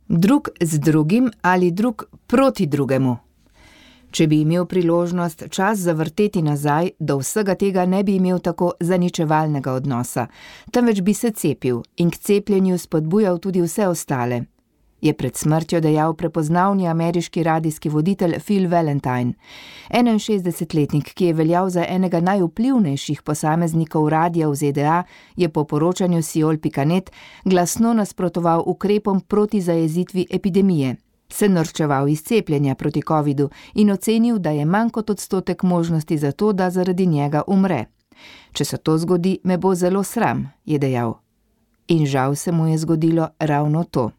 Drug z drugim ali drug proti drugemu. Če bi imel priložnost čas zavrteti nazaj, do vsega tega ne bi imel tako zaničevalnega odnosa, temveč bi se cepil in k cepljenju spodbujal tudi vse ostale, je pred smrtjo dejal prepoznavni ameriški radijski voditelj Phil Valentine. 61-letnik, ki je veljal za enega najvplivnejših posameznikov radija v ZDA, je po poročanju Siol.net glasno nasprotoval ukrepom proti zajezitvi epidemije, se norčeval iz cepljenja proti covidu in ocenil, da je manj kot odstotek možnosti za to, da zaradi njega umre. Če se to zgodi, me bo zelo sram, je dejal. In žal se mu je zgodilo ravno to.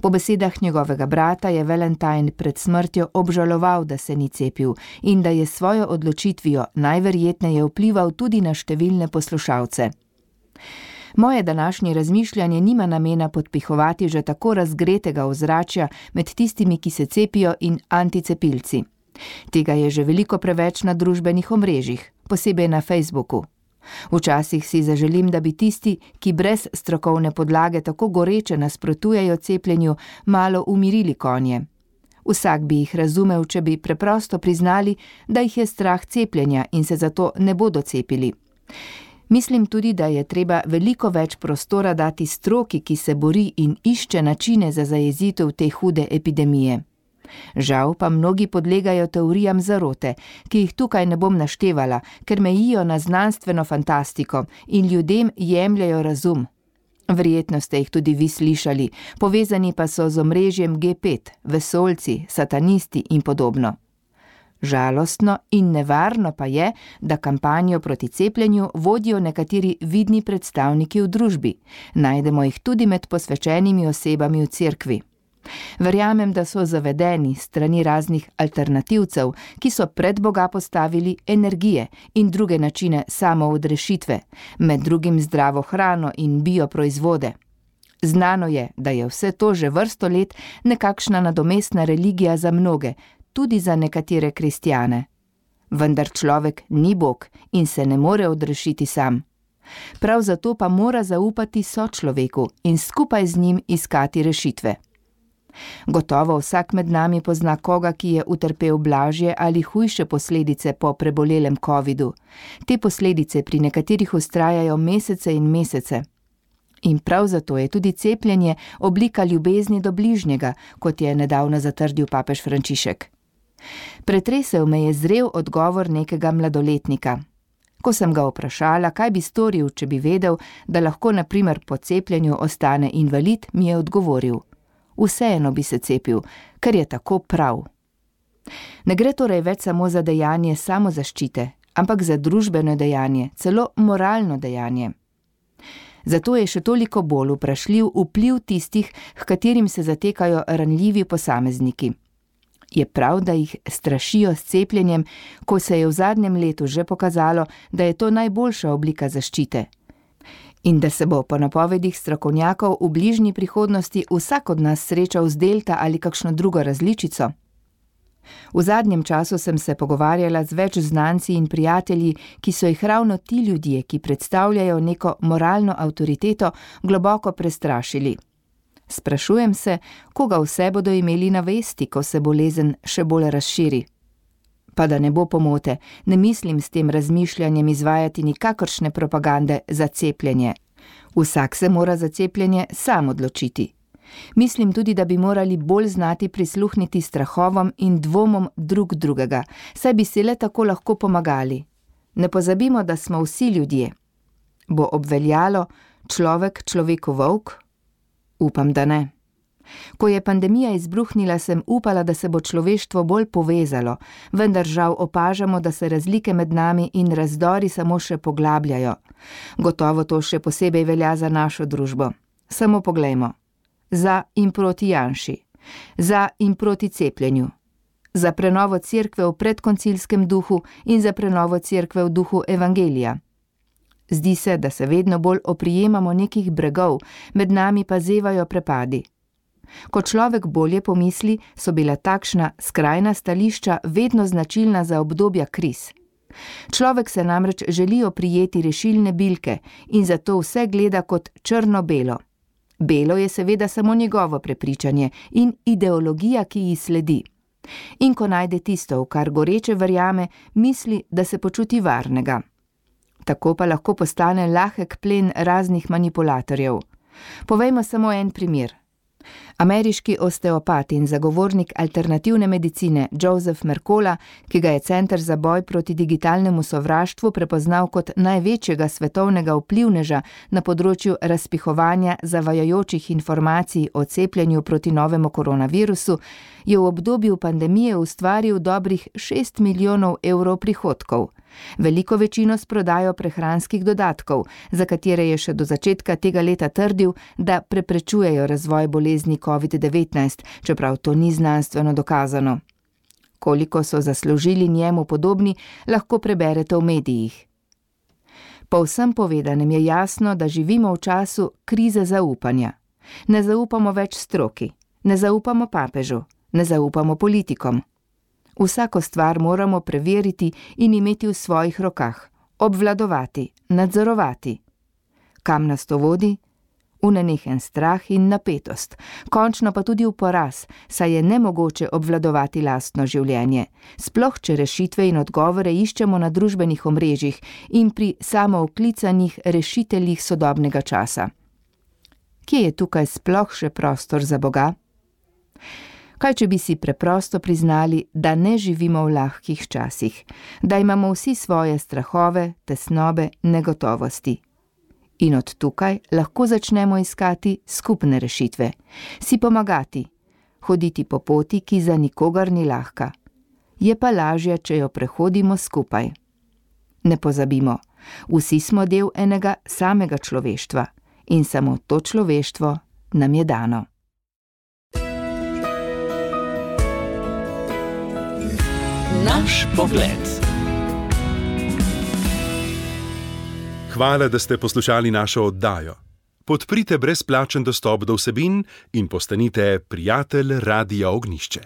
Po besedah njegovega brata je Valentine pred smrtjo obžaloval, da se ni cepil in da je svojo odločitvijo najverjetneje vplival tudi na številne poslušalce. Moje današnje razmišljanje nima namena podpihovati že tako razgretega ozračja med tistimi, ki se cepijo, in anticepilci. Tega je že veliko preveč na družbenih omrežjih, posebej na Facebooku. Včasih si zaželim, da bi tisti, ki brez strokovne podlage tako goreče nasprotujejo cepljenju, malo umirili konje. Vsak bi jih razumel, če bi preprosto priznali, da jih je strah cepljenja in se zato ne bodo cepili. Mislim tudi, da je treba veliko več prostora dati stroki, ki se bori in išče načine za zajezitev te hude epidemije. Žal pa mnogi podlegajo teorijam zarote, ki jih tukaj ne bom naštevala, ker mejijo na znanstveno fantastiko in ljudem jemljajo razum. Verjetno ste jih tudi vi slišali, povezani pa so z omrežjem G5, vesoljci, satanisti in podobno. Žalostno in nevarno pa je, da kampanjo proti cepljenju vodijo nekateri vidni predstavniki v družbi. Najdemo jih tudi med posvečenimi osebami v cerkvi. Verjamem, da so zavedeni strani raznih alternativcev, ki so pred Boga postavili energije in druge načine samoodrešitve, med drugim zdravo hrano in bioproizvode. Znano je, da je vse to že vrsto let nekakšna nadomestna religija za mnoge, tudi za nekatere kristjane. Vendar človek ni Bog in se ne more odrešiti sam. Prav zato pa mora zaupati sočloveku in skupaj z njim iskati rešitve. Gotovo vsak med nami pozna koga, ki je utrpel blažje ali hujše posledice po prebolelem covidu. Te posledice pri nekaterih vztrajajo mesece in mesece. In prav zato je tudi cepljenje oblika ljubezni do bližnjega, kot je nedavno zatrdil papež Frančišek. Pretresel me je zrel odgovor nekega mladoletnika. Ko sem ga vprašala, kaj bi storil, če bi vedel, da lahko na primer po cepljenju ostane invalid, mi je odgovoril: vseeno bi se cepil, ker je tako prav. Ne gre torej več samo za dejanje samozaščite, ampak za družbeno dejanje, celo moralno dejanje. Zato je še toliko bolj vprašljiv vpliv tistih, h katerim se zatekajo ranljivi posamezniki. Je prav, da jih strašijo s cepljenjem, ko se je v zadnjem letu že pokazalo, da je to najboljša oblika zaščite. In da se bo po napovedih strokovnjakov v bližnji prihodnosti vsak od nas srečal z delta ali kakšno drugo različico. V zadnjem času sem se pogovarjala z več znanci in prijatelji, ki so jih ravno ti ljudje, ki predstavljajo neko moralno avtoriteto, globoko prestrašili. Sprašujem se, koga vse bodo imeli na vesti, ko se bolezen še bolj razširi. Pa da ne bo pomote, ne mislim s tem razmišljanjem izvajati nikakršne propagande za cepljenje. Vsak se mora za cepljenje sam odločiti. Mislim tudi, da bi morali bolj znati prisluhniti strahovom in dvomom drug drugega, saj bi si le tako lahko pomagali. Ne pozabimo, da smo vsi ljudje. Bo obveljalo človek človeku volk? Upam, da ne. Ko je pandemija izbruhnila, sem upala, da se bo človeštvo bolj povezalo, vendar žal opažamo, da se razlike med nami in razdori samo še poglabljajo. Gotovo to še posebej velja za našo družbo. Samo poglejmo. Za in proti Janši. Za in proti cepljenju. Za prenovo cerkve v predkoncilskem duhu in za prenovo cerkve v duhu evangelija. Zdi se, da se vedno bolj oprijemamo nekih bregov, med nami pa zevajo prepadi. Ko človek bolje pomisli, so bila takšna skrajna stališča vedno značilna za obdobja kriz. Človek se namreč želi oprijeti rešilne bilke in zato vse gleda kot črno-belo. Belo je seveda samo njegovo prepričanje in ideologija, ki ji sledi. In ko najde tisto, v kar goreče verjame, misli, da se počuti varnega. Tako pa lahko postane lahek plen raznih manipulatorjev. Povejmo samo en primer. Ameriški osteopat in zagovornik alternativne medicine Joseph Mercola, ki ga je Center za boj proti digitalnemu sovraštvu prepoznal kot največjega svetovnega vplivneža na področju razpihovanja zavajajočih informacij o cepljenju proti novemu koronavirusu, je v obdobju pandemije ustvaril dobrih 6 milijonov evrov prihodkov. Veliko večino s prodajo prehranskih dodatkov, za katere je še do začetka tega leta trdil, da preprečujejo razvoj bolezni COVID-19, čeprav to ni znanstveno dokazano. Koliko so zaslužili njemu podobni, lahko preberete v medijih. Po vsem povedanem je jasno, da živimo v času krize zaupanja. Ne zaupamo več stroki, ne zaupamo papežu, ne zaupamo politikom. Vsako stvar moramo preveriti in imeti v svojih rokah, obvladovati, nadzorovati. Kam nas to vodi? V nenehen strah in napetost, končno pa tudi v poraz, saj je nemogoče obvladovati lastno življenje, sploh če rešitve in odgovore iščemo na družbenih omrežjih in pri samooklicanih rešiteljih sodobnega časa. Kje je tukaj sploh še prostor za Boga? Kaj, če bi si preprosto priznali, da ne živimo v lahkih časih, da imamo vsi svoje strahove, tesnobe, negotovosti. In od tukaj lahko začnemo iskati skupne rešitve, si pomagati, hoditi po poti, ki za nikogar ni lahka. Je pa lažje, če jo prehodimo skupaj. Ne pozabimo, vsi smo del enega samega človeštva in samo to človeštvo nam je dano. Naš pogled. Hvala, da ste poslušali našo oddajo. Podprite brezplačen dostop do vsebin in postanite prijatelj Radia Ognjišče.